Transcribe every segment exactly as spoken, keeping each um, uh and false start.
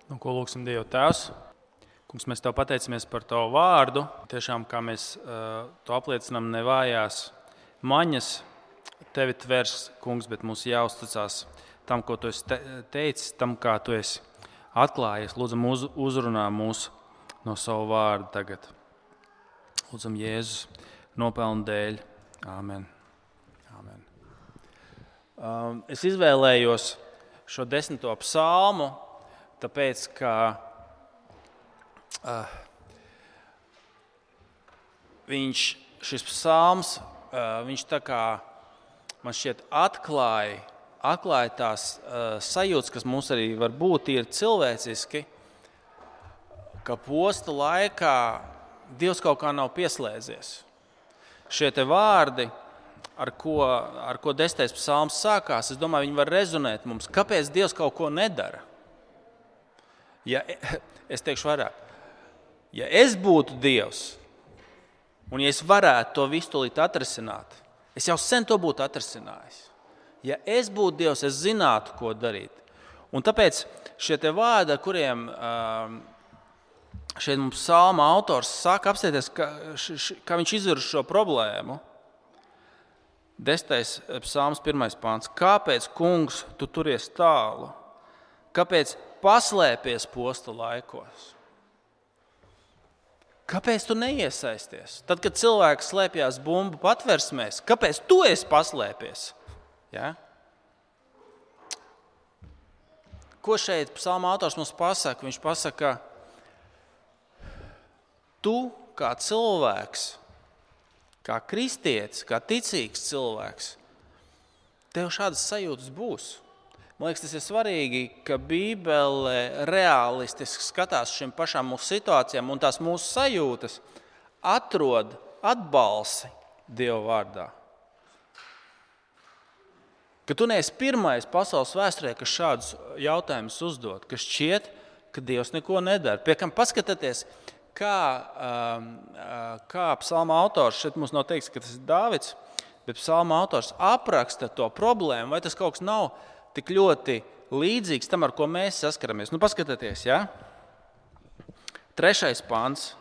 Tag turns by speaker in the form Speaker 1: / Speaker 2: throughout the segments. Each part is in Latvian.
Speaker 1: Nu, ko lūksim Dievu Tēvs? Kungs, mēs Tev pateicamies par Tavu vārdu. Tiešām, kā mēs uh, to apliecinām, nevājās maņas Tevi tvers, Kungs, bet mums jāuzticās tam, ko Tu esi te- teicis, tam, kā Tu esi atklājies. Lūdzam, uz, uzrunā mūs no savu vārdu tagad. Lūdzam, Jēzus nopelnu dēļ. Āmen. Āmen. Um, es izvēlējos šo desmito psalmu, tāpēc, ka uh, viņš, šis psalms, uh, viņš tā kā, man šķiet, atklāja, atklāja tās uh, sajūtas, kas mums arī var būt, ir cilvēciski, ka posta laikā Dievs kaut kā nav pieslēdzies. Šie te vārdi, ar ko, ar ko desmitais psalms sākās, es domāju, viņi var rezonēt mums. Kāpēc Dievs kaut ko nedara? Ja, es teikšu vairāk. Ja es būtu Dievs, un ja es varētu to visu tūlīt atrisināt, es jau sen to būtu atrisinājis. Ja es būtu Dievs, es zinātu, ko darīt. Un tāpēc šie te vārdi, ar kuriem um, šeit mums psalma autors saka, apstieties, ka, š, š, ka viņš izvirz šo problēmu. Desmitais psalms, pirmais pāns. Kāpēc, kungs, tu turies tālu? Kāpēc paslēpies posta laikos? Kāpēc tu neiesaisties? Tad, kad cilvēks slēpjās bumbu patversmēs, kāpēc tu esi paslēpies? Ja? Ko šeit psalma autors mums pasaka? Viņš pasaka, tu kā cilvēks, kā kristietis, kā ticīgs cilvēks, tev šādas sajūtas būs. Man liekas, tas ir svarīgi, ka Bībele realistiski skatās šim pašām mūsu situācijām un tās mūsu sajūtas atrod atbalsi Dieva vārdā. Ka tu neesi pirmais pasaules vēsturē, kas šādus jautājumus uzdod, kas šķiet, ka Dievs neko nedara. Pie kam paskatieties, kā, kā psalma autors, šeit mums nav teiks, ka tas ir Dāvids, bet psalma autors apraksta to problēmu, vai tas kaut kas nav tik ļoti līdzīgs tam, ar ko mēs saskaramies. Nu, paskatieties, ja? Trešais pants.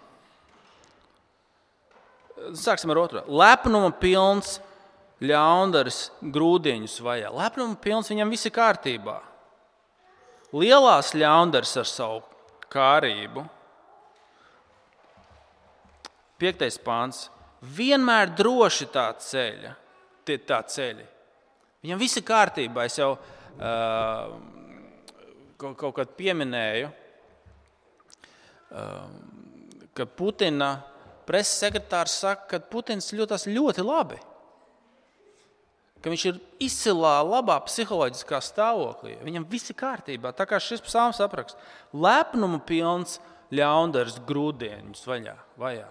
Speaker 1: Sāksim ar otro. Lepnuma pilns ļaundaris grūdieņus vajā. Lepnuma pilns, viņam viss ir kārtībā. Lielās ļaundaris ar savu kārību. Piektais pants. Vienmēr droši tā ceļa, tie tā ceļi. Viņam viss ir kārtībā. Es jau uh, kaut, kaut kad pieminēju, uh, ka Putina preses sekretārs saka, ka Putins jūtas ļoti labi. Ka viņš ir izcilā, labā psiholoģiskā stāvoklī. Viņam viss ir kārtībā. Tā kā šis psalms apraksta. Lepnuma pilns ļaundaris grūdieņus vaļā, vajā.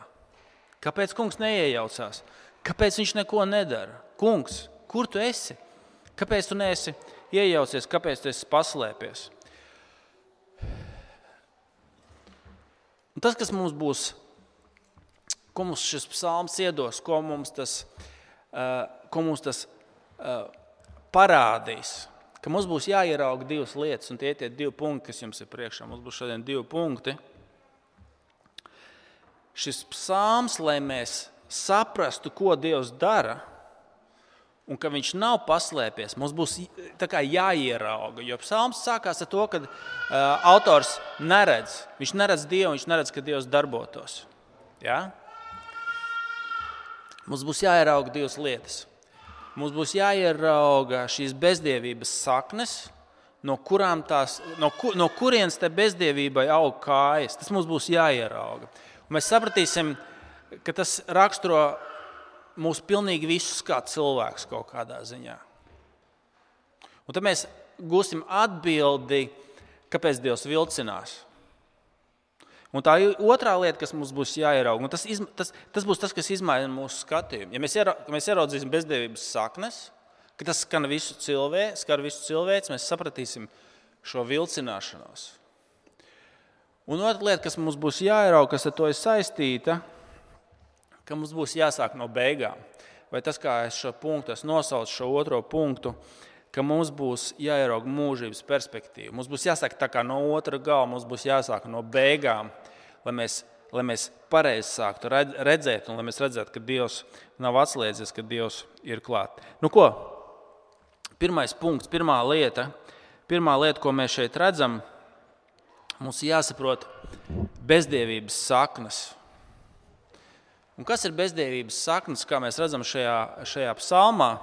Speaker 1: Kāpēc kungs neiejaucās? Kāpēc viņš neko nedara? Kungs, kur tu esi? Kāpēc tu neesi iejaucies? Kāpēc tu esi paslēpies? Un tas, kas mums būs, ko mums šis psalms iedos, ko mums tas, uh, ko mums tas uh, parādīs, ka mums būs jāierauga divas lietas, un tie ir tie divi punkti, kas jums ir priekšā. Mums būs šodien divi punkti. Šis psalms, lai mēs saprastu, ko Dievs dara, un ka viņš nav paslēpies, mums būs tā kā jāierauga. Jo psalms sākās ar to, ka uh, autors neredz. Viņš neredz Dievu, viņš neredz, ka Dievs darbotos. Ja? Mums būs jāierauga divas lietas. Mums būs jāierauga šīs bezdievības saknes, no, kurām tās, no, kur, no kurienes te bezdievībai aug kājas. Tas mums būs jāierauga. Un mēs sapratīsim, ka tas raksturo mūs pilnīgi visus kā cilvēks kaut kādā ziņā. Un tad mēs gūsim atbildi, kāpēc Dievs vilcinās. Un tā otrā lieta, kas mums būs jāierauga, tas, tas, tas būs tas, kas izmaina mūsu skatījumu. Ja mēs, iera, mēs ieraudzīsim bezdievības saknes, ka tas skar visu cilvēku, skar visu cilvēks, mēs sapratīsim šo vilcināšanos. Un otra lieta, kas mums būs jāierauga, kas ar to ir saistīta, ka mums būs jāsāk no beigām. Vai tas, kā es šo punktu, es nosaucu šo otro punktu, ka mums būs jāierauga mūžības perspektīva. Mums būs jāsāk tā kā no otra gala, mums būs jāsāk no beigām, lai mēs, lai mēs pareizi sāktu redzēt un lai mēs redzētu, ka Dievs nav atslēdzies, ka Dievs ir klāt. Nu ko? Pirmais punkts, pirmā lieta, pirmā lieta, ko mēs šeit redzam, mums jāsaprot bezdievības saknes. Un kas ir bezdievības saknes, kā mēs redzam šajā, šajā psalmā?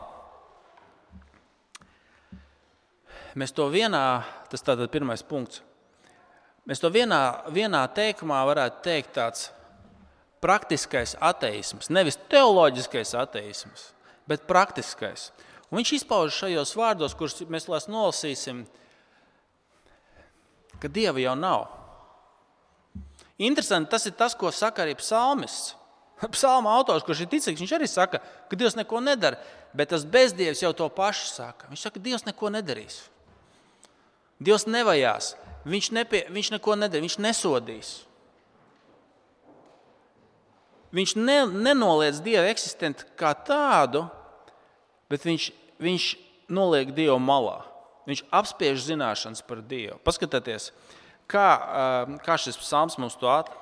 Speaker 1: Mēs to vienā, tas tātad pirmais punkts, mēs to vienā, vienā teikumā varētu teikt tāds praktiskais ateisms, nevis teoloģiskais ateisms, bet praktiskais. Un viņš izpauž šajos vārdos, kurus mēs lās nolasīsim, ka Dieva jau nav. Interesanti, tas ir tas, ko saka arī psalmists. Psalma autors, kurš ir ticīgs, viņš arī saka, ka Dievs neko nedara, bet tas bezdievs jau to pašu saka. Viņš saka, ka Dievs neko nedarīs. Dievs nevajās, viņš, nepie, viņš neko nedara, viņš nesodīs. Viņš ne, nenoliedz Dievu eksistentu kā tādu, bet viņš, viņš noliek Dievu malā. Viņš apspiež zināšanas par Dievu. Paskatieties, kā, kā šis psalms mums to at,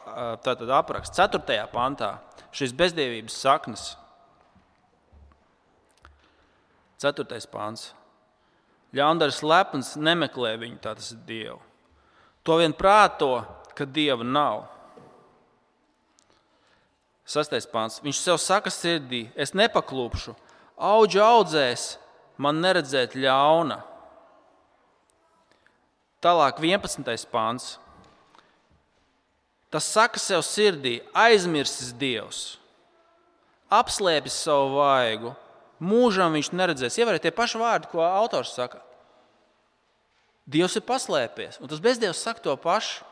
Speaker 1: tātad apraksta. Ceturtajā pantā šīs bezdievības saknes. Ceturtais pants. Ļaundaris lepns nemeklē viņu, tā tas ir Dievu. To vien prāto, ka Dieva nav. Sastais pants. Viņš sev saka sirdī, es nepaklūpšu, auģu audzēs, man neredzēt ļauna. Tālāk vienpadsmitais pants. Tas saka sev sirdī, aizmirsis Dievs, apslēpis savu vaigu, mūžam viņš neredzēs. Ievēriet tie paši vārdi, ko autors saka. Dievs ir paslēpies. Un tas bezdievs saka to pašu.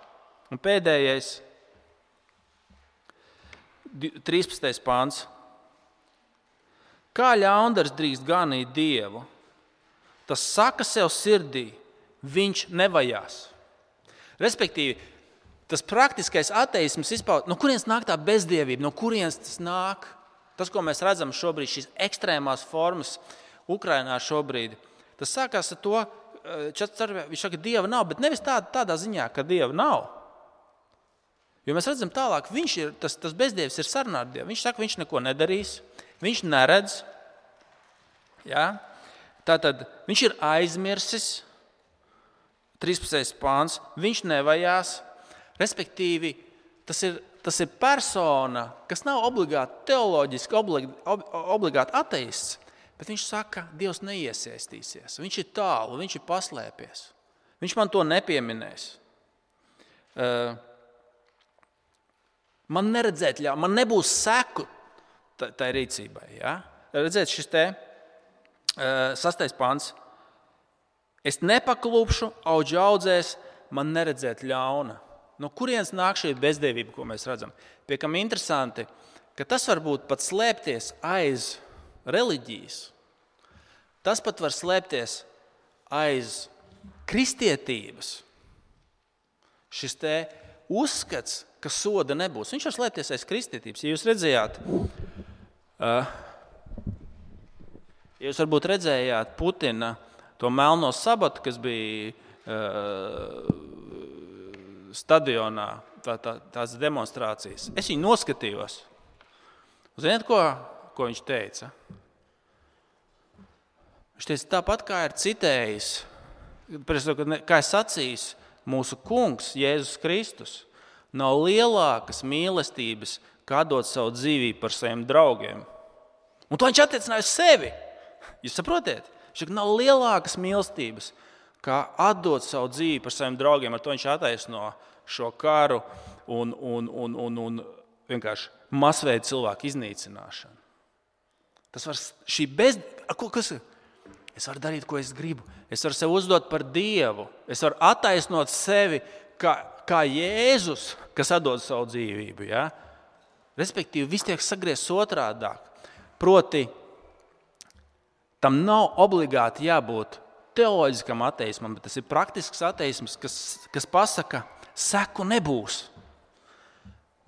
Speaker 1: Un pēdējais, trīspadsmitais pāns. Kā ļaundaris drīkst ganīt Dievu? Tas saka sev sirdī, viņš nevajās. Respektīvi, tas praktiskais ateisms izpaud, no kurienes nāk tā bezdievība, no kurienes tas nāk? Tas, ko mēs redzam šobrīd, šīs ekstrēmās formas Ukrainā šobrīd, tas sākās ar to, viņš saka, ka Dieva nav, bet nevis tā, tādā ziņā, ka Dieva nav. Jo mēs redzam tālāk, viņš ir, tas, tas bezdievs ir sarunā ar Dievu. Viņš saka, viņš neko nedarīs, viņš neredz. Ja? Tātad viņš ir aizmirsis, trīspadsmitais pāns, viņš nevajās, respektīvi, tas ir Tas ir persona, kas nav obligāti teoloģiski, obligāti ateists, bet viņš saka, ka Dievs neiesaistīsies. Viņš ir tālu, viņš ir paslēpies. Viņš man to nepieminēs. Man neredzēt ļauj, man nebūs seku tai rīcībai. Ja? Redzēt, šis te sastais pants. Es nepaklūpšu, auģu audzēs, man neredzēt ļauna. No kurienes nāk šī bezdievība, ko mēs redzam? Piekam interesanti, ka tas var būt pat slēpties aiz reliģijas. Tas pat var slēpties aiz kristietības. Šis te uzskats, ka soda nebūs. Viņš var slēpties aiz kristietības. Ja jūs redzējāt, uh, ja jūs varbūt redzējāt Putina to melno sabatu, kas bija uh, stadionā, tā, tā, tās demonstrācijas. Es viņu noskatījos. Ziniet, ko, ko viņš teica? Viņš teica, tāpat kā ir citējis, kā ir sacījis mūsu kungs, Jēzus Kristus, nav lielākas mīlestības, kā dot savu dzīvību par saviem draugiem. Un to viņš attiecināja uz sevi. Jūs saprotiet? Viņš saka, nav lielākas mīlestības, kā atdot savu dzīvi par saviem draugiem. Ar to viņš attaisno šo karu un, un, un, un, un vienkārši masveida cilvēku iznīcināšanu. Tas var šī bez... Ko, kas ir? Es varu darīt, ko es gribu. Es varu sev uzdot par Dievu. Es varu attaisnot sevi kā, kā Jēzus, kas atdod savu dzīvību. Ja? Respektīvi, viss tiek sagriezts otrādāk. Proti, tam nav obligāti jābūt teoloģiskam ateismam, bet tas ir praktisks ateisms, kas, kas pasaka, seku nebūs.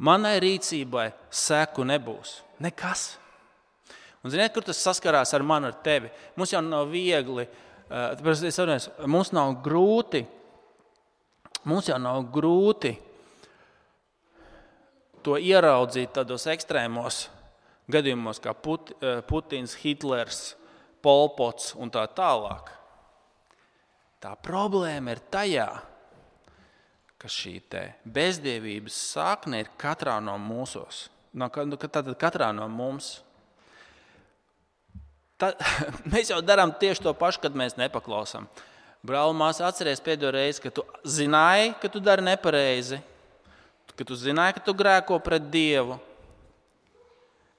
Speaker 1: Manai rīcībai seku nebūs. Nekas. Un ziniet, kur tas saskarās ar mani, ar tevi? Mums jau nav viegli Tāpēc es saprotu, mums nav grūti, mums jau nav grūti to ieraudzīt tādos ekstrēmos gadījumos kā Put, Putins, Hitlers, Polpots un tā tālāk. Tā problēma ir tajā, ka šī te bezdievības sakne ir katrā no mūsos. No, tātad katrā no mums. Tā, mēs jau darām tieši to pašu, kad mēs nepaklausām. Brāl, māsa, atceries pēdējo reizi, ka tu zināji, ka tu dari nepareizi, ka tu zināji, ka tu grēko pret Dievu,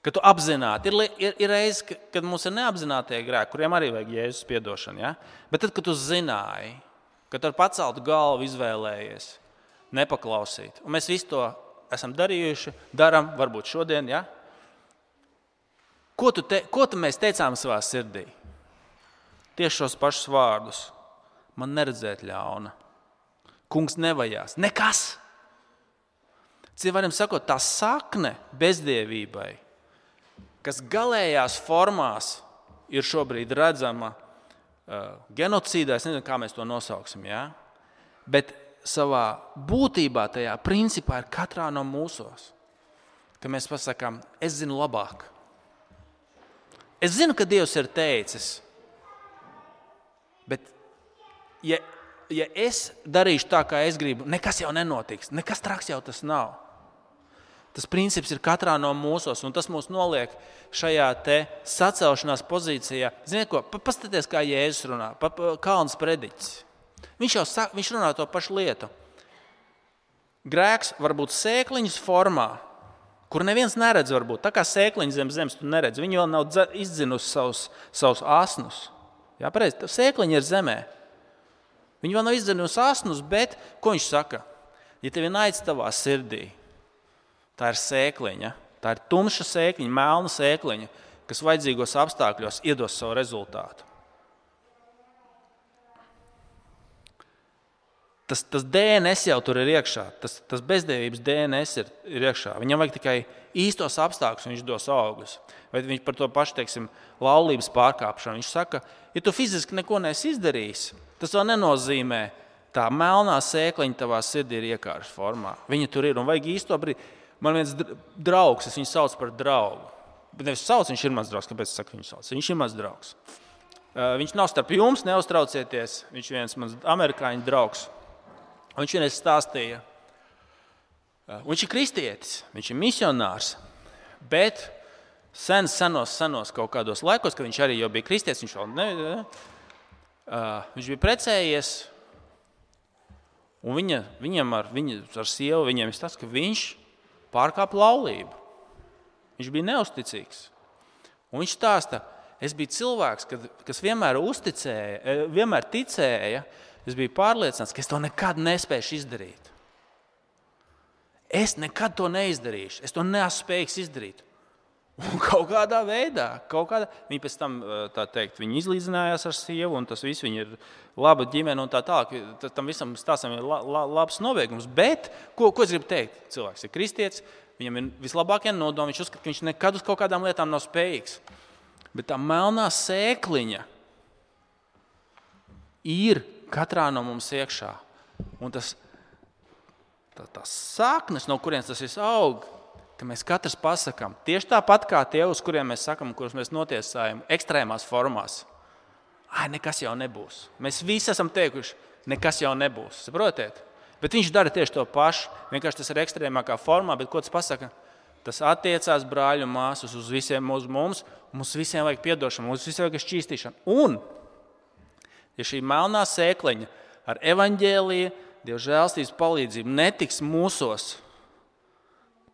Speaker 1: ka tu apzināti. Ir, ir, ir reizes, kad mums ir neapzinātie grēki, kuriem arī vajag Jēzus piedošanu. Ja? Bet tad, kad tu zināji, ka tu ar paceltu galvu izvēlējies nepaklausīt, un mēs visu to esam darījuši, daram, varbūt šodien, ja? Ko, tu te, ko tu mēs teicām savā sirdī? Tieši šos pašus vārdus. Man neredzēt ļauna. Kungs nevajās. Nekas. Cilvēkiem sakot, tā sakne bezdievībai, kas galējās formās ir šobrīd redzama uh, genocīdā, es nezinu, kā mēs to nosauksim, ja? Bet savā būtībā tajā principā ir katrā no mūsos. Ka mēs pasakām, es zinu labāk. Es zinu, ka Dievs ir teicis, bet ja, ja es darīšu tā, kā es gribu, nekas jau nenotiks, nekas traks jau tas nav. Tas princips ir katrā no mūsos, un tas mūs noliek šajā te sacelšanās pozīcijā. Ziniet ko, paskaties, kā Jēzus runā, pa, pa, kalns prediķis. Viņš jau saka, viņš runā to pašu lietu. Grēks var būt sēkliņas formā, kur neviens neredz varbūt. Tā kā sēkliņa zem zemes tu neredz. Viņi vēl nav izdzinusi savus, savus asnus. Jā, pareizi, sēkliņa ir zemē. Viņi vēl nav izdzinusi asnus, bet ko viņš saka? Ja tev ir naids tavā sirdī, tā ir sēkliņa, tā ir tumša sēkliņa, melna sēkliņa, kas vajadzīgos apstākļos iedos savu rezultātu. Tas, tas D N S jau tur ir iekšā, tas, tas bezdievības D N S ir, ir iekšā. Viņam vajag tikai īstos apstākļus, un viņš dos augļus. Vai viņš par to pašu, teiksim, laulības pārkāpšanu. Viņš saka, ja tu fiziski neko neesi izdarījis, tas vēl nenozīmē, tā melnā sēkliņa tavā sirdī ir iekārtas formā. Viņa tur ir un vajag īsto brīdi. Man viens draugs, es viņu sauc par draugu. Bet nevis sauc, viņš ir mans draugs, kāpēc es saku viņu sauc? Viņš ir mans draugs. Viņš nav starp jums, neuztraucieties, viņš viens mans amerikāņu draugs. Un viņš vienreiz stāstīja, un viņš ir kristietis, viņš ir misionārs, bet sen, senos, senos kaut kādos laikos, kad viņš arī jau bija kristietis, viņš, vēl ne, ne, uh, viņš bija precējies, un viņa, viņam ar, viņa, ar sievu, viņiem ir tas, ka viņš pārkāpa laulību. Viņš bija neusticīgs. Un viņš stāsta, es biju cilvēks, kad, kas vienmēr uzticēja, vienmēr ticēja, es biju pārliecināts, ka es to nekad nespēšu izdarīt. Es nekad to neizdarīšu. Es to neesmu spējīgs izdarīt. Un kaut kādā veidā, kaut kādā, viņi pēc tam, tā teikt, viņi izlīdzinājās ar sievu, un tas viss, viņi ir laba ģimene un tā tālāk. Tam visam stāstam ir la, la, labs nobeigums. Bet, ko, ko es gribu teikt? Cilvēks ir kristietis, viņam ir vislabākie nodomi, viņš uzskata, ka viņš nekad uz kaut kādām lietām nav spējīgs. Bet tā melnā sēkliņa ir katrā no mums iekšā. Un tas, tā, tās saknes, no kurienes tas viss aug, ka mēs katrs pasakām, tieši tāpat kā tie, uz kuriem mēs sakam, kurus mēs notiesājam ekstrēmās formās. Ai, nekas jau nebūs. Mēs visi esam teikuši, nekas jau nebūs. Saprotiet? Bet viņš dara tieši to pašu. Vienkārši tas ir ekstrēmākā formā, bet ko tas pasaka? Tas attiecās brāļu un māsas uz visiem uz mums. Mums visiem vajag piedošanu, mums visiem vajag šķīstīšanu. Un ja šī melnā sēkliņa ar evaņģēlija, Dieva žēlstības palīdzību netiks mūsos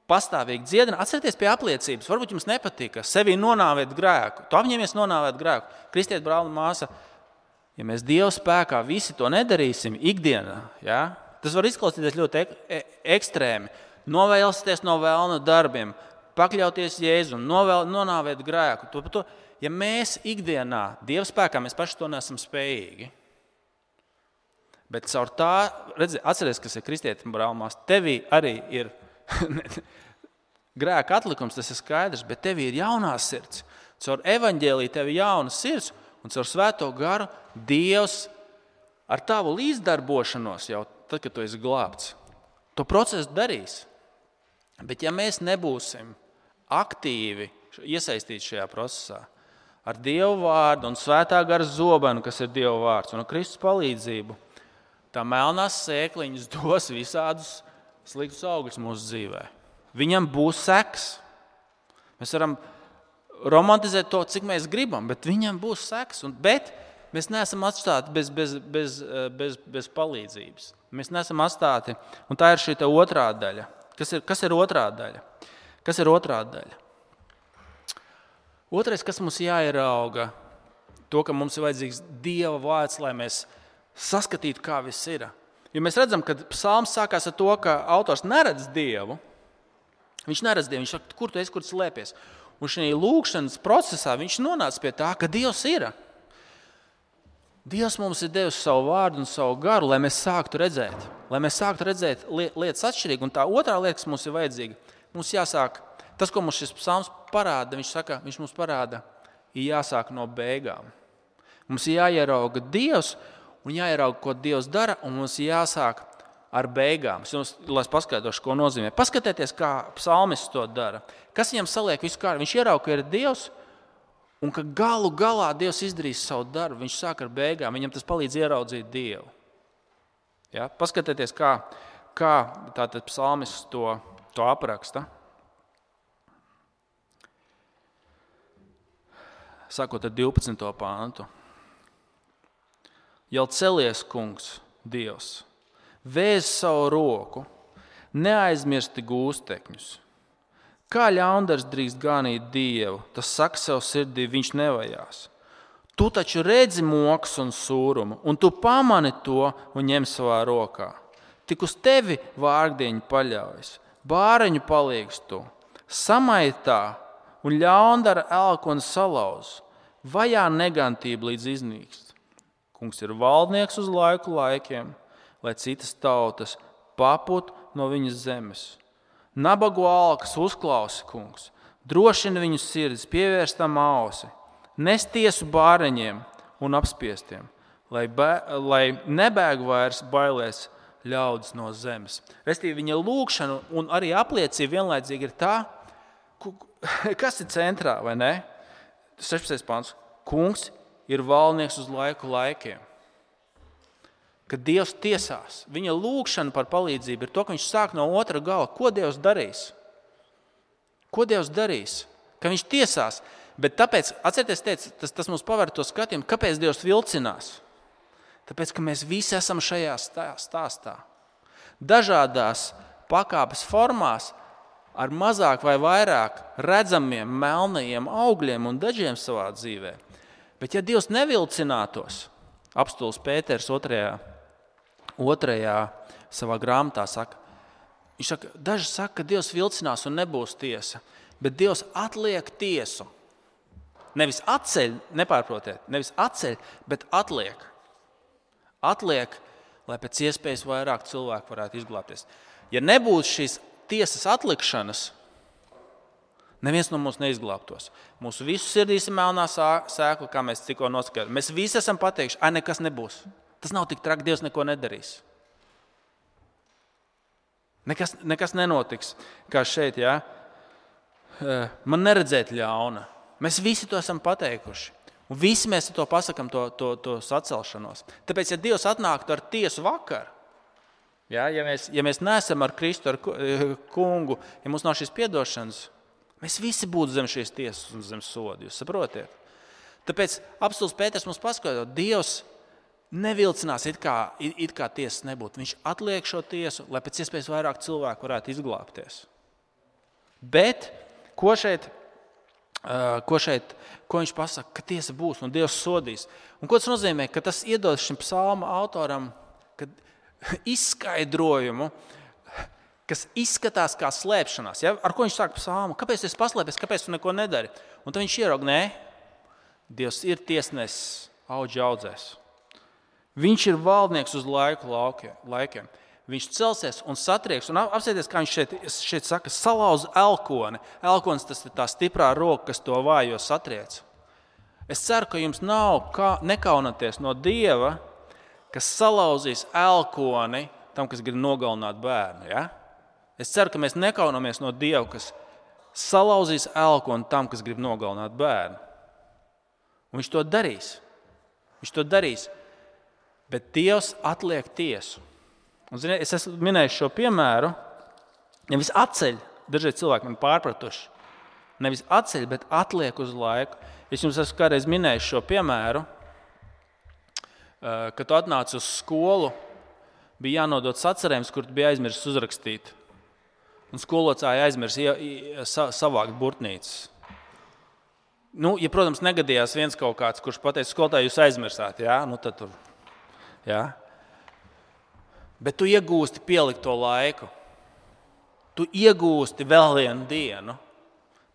Speaker 1: pastāvīgi dziedina, atcerieties pie apliecības. Varbūt jums nepatīk, ka sevī nonāvēt grēku. Tu apņemies nonāvēt grēku. Kristiet, brāl un māsa, ja mēs Dieva spēkā visi to nedarīsim ikdienā, ja, tas var izklausīties ļoti ek- e- ekstrēmi. Novēlsties no vēlna darbiem, pakļauties Jēzum, novēl, nonāvēt grēku. To, to, ja mēs ikdienā Dieva spēkā, mēs paši to neesam spējīgi. Bet caur tā, redzi, atceries, kas ir kristieti, brālmās, tevī arī ir grēka atlikums, tas ir skaidrs, bet tevī ir jaunā sirds. Caur evaņģēliju tev ir jauna sirds, Un caur Svēto garu Dievs ar tavu līdzdarbošanos jau tad, kad tu esi glābts, to procesu darīs. Bet ja mēs nebūsim aktīvi iesaistīti šajā procesā, ar Dievu vārdu un Svētā gara zobenu, kas ir Dieva vārds, un ar Kristus palīdzību, tā melnās sēkliņas dos visādus sliktus augļus mūsu dzīvē. Viņam būs seks. Mēs varam romantizēt to, cik mēs gribam, bet viņam būs seks. Un, bet mēs neesam atstāti bez, bez, bez, bez, bez palīdzības. Mēs neesam atstāti, un tā ir šī otrā daļa. Kas ir, kas ir otrā daļa? Kas ir otrā daļa? Otrais, kas mums jāierauga, to, ka mums ir vajadzīgs Dieva vārds, lai mēs saskatītu, kā viss ir. Jo mēs redzam, ka psalms sākās ar to, ka autors neredz Dievu. Viņš neredz Dievu, viņš saka, kur tu esi, kur tu slēpies. Un šī lūkšanas procesā viņš nonāca pie tā, ka Dievs ir. Dievs mums ir devis savu vārdu un savu garu, lai mēs sāktu redzēt. Lai mēs sāktu redzēt lietas atšķirīgi. Un tā otrā lieta, kas mums ir vajadzīga, mums jāsāk, tas, ko mums šis psalms parāda, viņš saka, viņš mums parāda, ir jāsāk no beigām. Mums ir jāierauga Dievs un jāierauga, ko Dievs dara, un mums ir jāsāk ar beigām. Es jums, lai es paskaidrošu, ko nozīmē. Paskatieties, kā psalmists to dara. Kas viņam saliek visu kārtu? Viņš ierauga, ka ir Dievs, un ka galu galā Dievs izdarīs savu darbu. Viņš sāk ar beigām. Viņam tas palīdz ieraudzīt Dievu. Ja? Paskatieties, kā, kā tātad psalmists to, to apraksta. Sākot ar divpadsmito pāntu. Jau celies, kungs, Dievs, vēz savu roku, neaizmirsti gūstekņus. Kā ļaundars drīkst ganīt Dievu, tas saka sev sirdī, viņš nevajās. Tu taču redzi mokas un sūrumu, un tu pamani to un ņem savā rokā. Tik uz tevi vārgdieņi paļaujas, bāreņu palīgs tu, samaitā un ļaundara elkoni salauz, vajā negantība līdz iznīkst. Kungs ir valdnieks uz laiku laikiem, lai citas tautas paput no viņas zemes. Nabagu alkas uzklausi, kungs, drošina viņu sirdis, pievērstam ausi, nes tiesu bāreņiem un apspiestiem, lai, bē, lai nebēg vairs bailēs ļaudis no zemes. Restīvi viņa lūkšana un arī apliecība vienlaicīgi ir tā, kas ir centrā, vai ne? sešpadsmitais pants. Kungs ir valdnieks uz laiku laikiem. Kad Dievs tiesās, viņa lūkšana par palīdzību ir to, ka viņš sāk no otra gala. Ko Dievs darīs? Ko Dievs darīs? Ka viņš tiesās. Bet tāpēc, atcerieties, teica, tas, tas mums paver to skatījumu, kāpēc Dievs vilcinās? Tāpēc, ka mēs visi esam šajā stāstā. Dažādās pakāpes formās, ar mazāk vai vairāk redzamiem melnajiem augļiem un dažiem savā dzīvē. Bet ja Dievs nevilcinātos, apstults Pēters otrajā, otrajā savā grāmatā saka, viņš saka, daži saka, ka Dievs vilcinās un nebūs tiesa, bet Dievs atliek tiesu. Nevis atceļ, nepārprotiet, nevis atceļ, bet atliek. Atliek, lai pēc iespējas vairāk cilvēku varētu izglābties. Ja nebūtu šīs tiesas atlikšanas, neviens no mums neizglābtos. Mūsu visu sirdīs ir melnā sēkla, kā mēs tikko noskatījām. Mēs visi esam pateikuši, ai, nekas nebūs. Tas nav tik traki, Dievs neko nedarīs. Nekas, nekas nenotiks, kā šeit, jā. Man neredzēt ļauna. Mēs visi to esam pateikuši. Un visi mēs to pasakam, to, to, to sacelšanos. Tāpēc, ja Dievs atnāktu ar tiesu vakaru, ja, ja, mēs, ja mēs neesam ar Kristu, ar kungu, ja mums nav šīs piedošanas, mēs visi būtu zem šīs tiesas un zem sodu, jūs saprotiet? Tāpēc apstults Pēters mums paskaidro, Dievs nevilcinās, it kā, it, it kā tiesas nebūtu. Viņš atliek šo tiesu, lai pēc iespējas vairāk cilvēku varētu izglābties. Bet, ko šeit, ko šeit, ko viņš pasaka, ka tiesa būs un Dievs sodīs. Un ko tas nozīmē? Ka tas iedod šim psalma autoram kad izskaidrojumu, kas izskatās kā slēpšanās. Ja? Ar ko viņš sāk psalmu? Kāpēc tu esi paslēpies? Kāpēc tu neko nedari? Un tad viņš ieraug, nē, Dievs ir tiesnesis audži audzēs. Viņš ir valdnieks uz laiku laikiem. Viņš celsies un satrieks. Un apsieties, kā viņš šeit, šeit saka, salauz elkoni. Elkonis tas ir tā stiprā roka, kas to vājo satriec. Es ceru, ka jums nav kā nekaunaties no Dieva, kas salauzīs elkoni tam, kas grib nogalināt bērnu. Ja? Es ceru, ka mēs nekaunamies no Dieva, kas salauzīs elkoni tam, kas grib nogalināt bērnu. Un viņš to darīs. Viņš to darīs. Bet Dievs atliek tiesu. Un, ziniet, es esmu minējis šo piemēru. Nevis atceļ, dažreiz cilvēki man pārpratuši. Nevis atceļ, bet atliek uz laiku. Es jums esmu kādreiz minējis šo piemēru, kad tu atnāc uz skolu, bija jānodot sacerējums, kur tu bija aizmirsis uzrakstīt. Un skolotāji aizmirs savākt burtnīcas. Nu, ja, protams, negadījās viens kaut kāds, kurš pateica, skolotāji, jūs aizmirsāt, jā? Nu, tad tur, jā? Bet tu iegūsti pielikto laiku. Tu iegūsti vēl vienu dienu.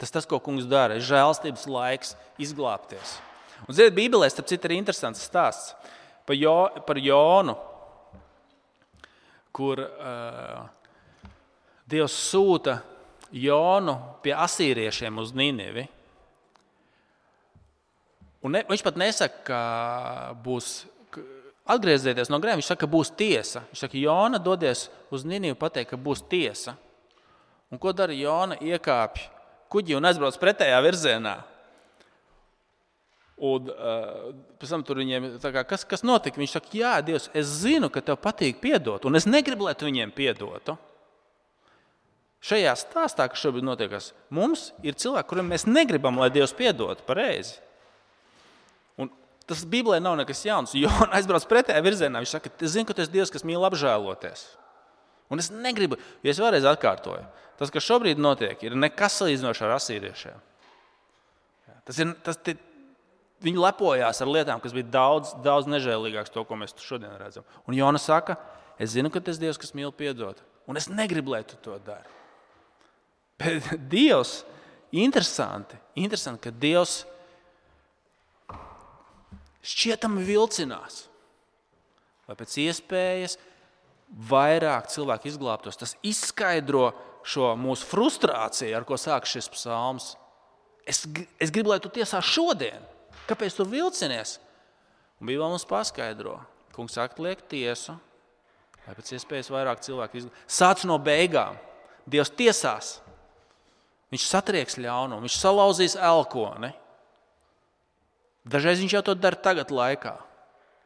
Speaker 1: Tas tas, ko kungs dara, ir žēlstības laiks izglābties. Un, ziniet, Bībelē, starp citu, ir interesants stāsts par, jo, par Jonu, kur uh, Dievs sūta Jonu pie asīriešiem uz Ninivi. Un ne, viņš pat nesaka, ka būs atgriezieties no grēka, viņš saka, ka būs tiesa. Viņš saka, Jona, dodies uz Ninivu, pateikt, ka būs tiesa. Un ko dara Jona? Iekāpj kuģi un aizbrauc pretējā virzienā. Un uh, pēc tam tur viņiem, tā kā, kas, kas notika? Viņš saka, jā, Dievs, es zinu, ka tev patīk piedot, un es negribu, lai tu viņiem piedotu. Šajā stāstā, kas šobrīd notiekas, mums ir cilvēki, kuriem mēs negribam, lai Dievs piedotu pareizi. Un tas Bībelē nav nekas jauns. Jona aizbrauc pretējā virzienā. Viņš saka, es zinu, ka tu esi Dievs, kas mīl apžēloties. Un es negribu, ja es vēlreiz atkārtoju, tas, kas šobrīd notiek, ir nekas salīdzinoši ar asīriešiem. Tas ir, tas, tie, viņi lepojās ar lietām, kas bija daudz, daudz nežēlīgāks to, ko mēs šodien redzam. Un Jona saka, es zinu, ka tu esi Dievs, kas mīl piedot. Un es negribu, lai tu to dari. Bet Dievs, interesanti, interesanti, ka Dievs šķietami vilcinās, lai pēc iespējas vairāk cilvēku izglābtos. Tas izskaidro šo mūsu frustrāciju, ar ko sāk šis psalms. Es, es gribu, lai tu tiesā šodien. Kāpēc tu vilcinies? Un Bībelē mums paskaidro. Kungs atliek tiesu, lai pēc iespējas vairāk cilvēku izglābtos. Sāc no beigām. Dievs tiesās. Viņš satrieks ļaunumu, viņš salauzīs elkoni. Dažreiz viņš jau to dara tagad laikā,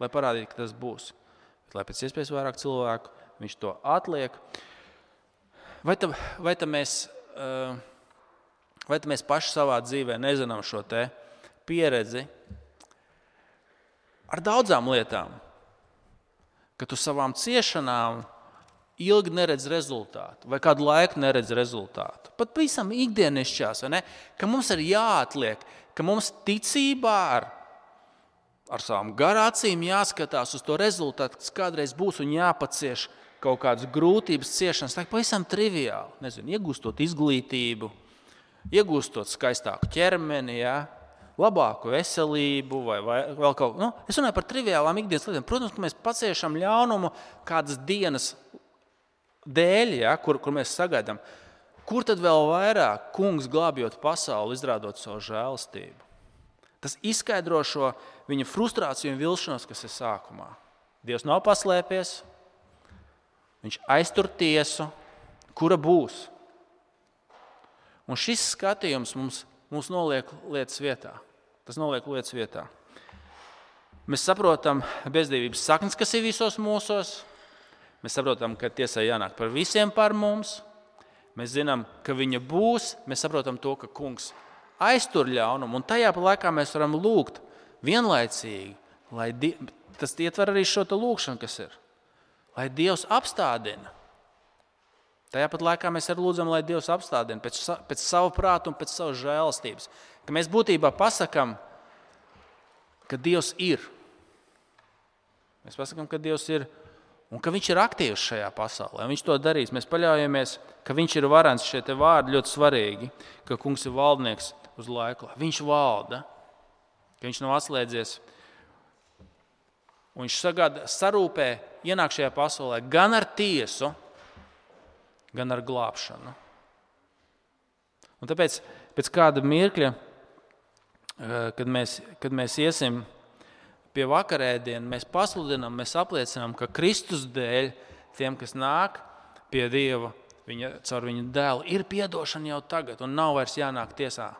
Speaker 1: lai parādītu, ka tas būs. Bet, lai pēc iespējas vairāk cilvēku, viņš to atliek. Vai tā, vai tā mēs, vai tā mēs paši savā dzīvē nezinām šo te pieredzi ar daudzām lietām, ka tu savām ciešanām ilgi neredz rezultātu, vai kādu laiku neredz rezultātu. Pat visam ikdienišķās, vai ne? Ka mums ir jāatliek, ka mums ticībā ar, ar savām garācīm jāskatās uz to rezultātu, kas kādreiz būs un jāpacieš kaut kādas grūtības, ciešanas. Tā ir pavisam triviāli. Nezinu, iegūstot izglītību, iegūstot skaistāku ķermeni, ja? Labāku veselību vai, vai vēl kaut ko. Nu, es runāju par triviālām ikdienas lietām. Protams, ka mēs paciešam ļaunumu kādas dienas dēļ, ja, kur, kur mēs sagaidām. Kur tad vēl vairāk kungs glābjot pasauli, izrādot savu žēlastību? Tas izskaidro šo viņa frustrāciju un vilšanos, kas ir sākumā. Dievs nav paslēpies, viņš aiztur tiesu, kura būs. Un šis skatījums mums, mums noliek lietas vietā. Tas noliek lietas vietā. Mēs saprotam bezdīvības saknes, kas ir visos mūsos. Mēs saprotam, ka tiesai jānāk par visiem par mums. Mēs zinām, ka viņa būs. Mēs saprotam to, ka kungs aiztur ļaunumu. Un tajā laikā mēs varam lūgt vienlaicīgi, lai die... tas ietver arī šo lūgšanu, kas ir. Lai Dievs apstādina. Tajā pat laikā mēs arī lūdzam, lai Dievs apstādina pēc, pēc savu prātu un pēc savas žēlastības. Ka mēs būtībā pasakam, ka Dievs ir. Mēs pasakam, ka Dievs ir un ka viņš ir aktīvs šajā pasaulē. Viņš to darīs. Mēs paļaujamies, ka viņš ir varens. Šie te vārdi ļoti svarīgi, ka kungs ir valdnieks uz laiku. Viņš valda, ka viņš nav atslēdzies. Un viņš sagāda, sarūpē, ienāk šajā pasaulē gan ar tiesu, gan ar glābšanu. Un tāpēc pēc kāda mirkļa kad mēs, kad mēs iesim pie vakarēdiena, mēs pasludinām, mēs apliecinām, ka Kristus dēļ tiem, kas nāk pie Dieva, viņa, caur viņa dēlu, ir piedošana jau tagad un nav vairs jānāk tiesā.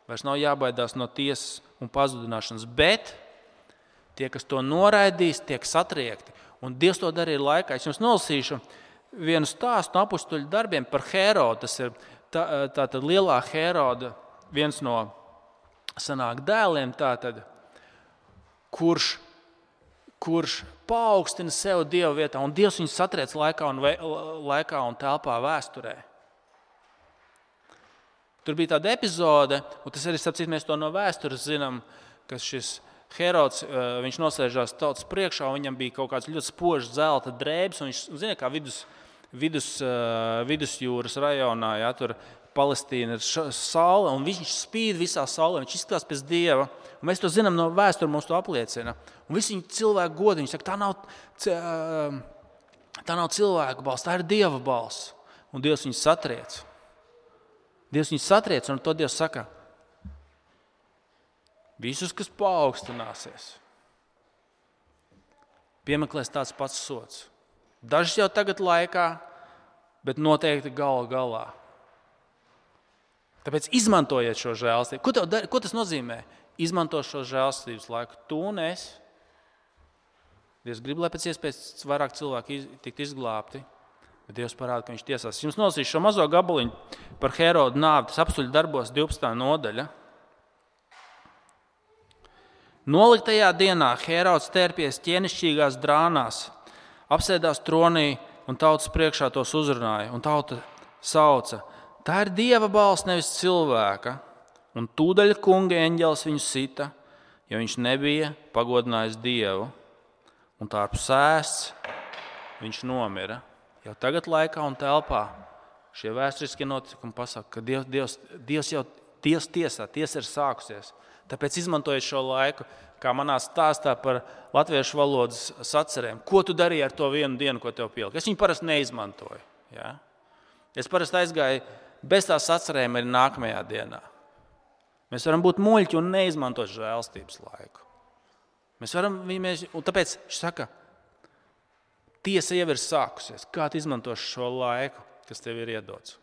Speaker 1: Vairs nav jābaidās no tiesas un pazudināšanas, bet tie, kas to noraidīs, tiek satriekti. Un Dievs to darīja laikā. Es jums nolasīšu vienu stāstu no apustuļu darbiem par Herodu. Tas ir tā, tā tad lielā Heroda, viens no sanāk dēliem, tātad, kurš, kurš paaugstina sev Dieva vietā, un Dievs viņu satriec laikā un, ve, laikā un telpā vēsturē. Tur bija tāda epizode, un tas arī, sapcīt, mēs to no vēstures zinām, ka šis Herods, viņš nosēžās tautas priekšā, un viņam bija kaut kāds ļoti spožs zelta drēbes, un viņš, zina, kā vidus, vidus, vidusjūras rajonā, ja, tur Palestīna ir saule, un viņš spīd visā saulē, viņš izskatās pēc Dieva, un mēs to zinām no vēstures, mums to apliecina. Un visi viņi cilvēku godi, viņi saka, tā nav, tā nav cilvēku balss, tā ir Dieva balss, un Dievs viņus satriec. Dievs viņus satriec, un to Dievs saka, visus, kas paaugstināsies, piemeklēs tāds pats sots. Dažs jau tagad laikā, bet noteikti gala galā. Tāpēc izmantojiet šo žēlstību. Ko, tev, ko tas nozīmē? Izmanto šo žēlstības laiku. Tu un es. Dievs grib, lai pēc iespējas vairāk cilvēku iz, tikt izglābti, bet Dievs parāda, ka viņš tiesās. Jums nolasīšu šo mazo gabaliņu par Herodu nāvi. Tas apustuļu darbos divpadsmitā nodaļa. Noliktajā dienā Herods tērpies ķēnišķīgās drānās, apsēdās tronī un tautas priekšā tos uzrunāja. Un tauta sauca, tā ir Dieva balss, nevis cilvēka. Un tūdaļ kunga eņģelis viņu sita, jo viņš nebija pagodinājis Dievu. Un tā ar sēsts viņš nomira. Jau tagad laikā un telpā šie vēsturiskie notikumi pasaka, ka Dievs, Dievs, Dievs jau Dievs tiesā, tiesa ir sākusies. Tāpēc izmantojiet šo laiku, kā manā stāstā par latviešu valodas sacerēm. Ko tu darīji ar to vienu dienu, ko tev pielika? Es viņu parasti neizmantoju. Ja? Es parasti aizgāju bez tās sacerēm arī nākamajā dienā. Mēs varam būt muļķi un neizmantot žēlstības laiku. Mēs varam, mēs, un tāpēc viņš saka, tiesa jau ir sākusies. Kā tu izmantoši šo laiku, kas tev ir iedots?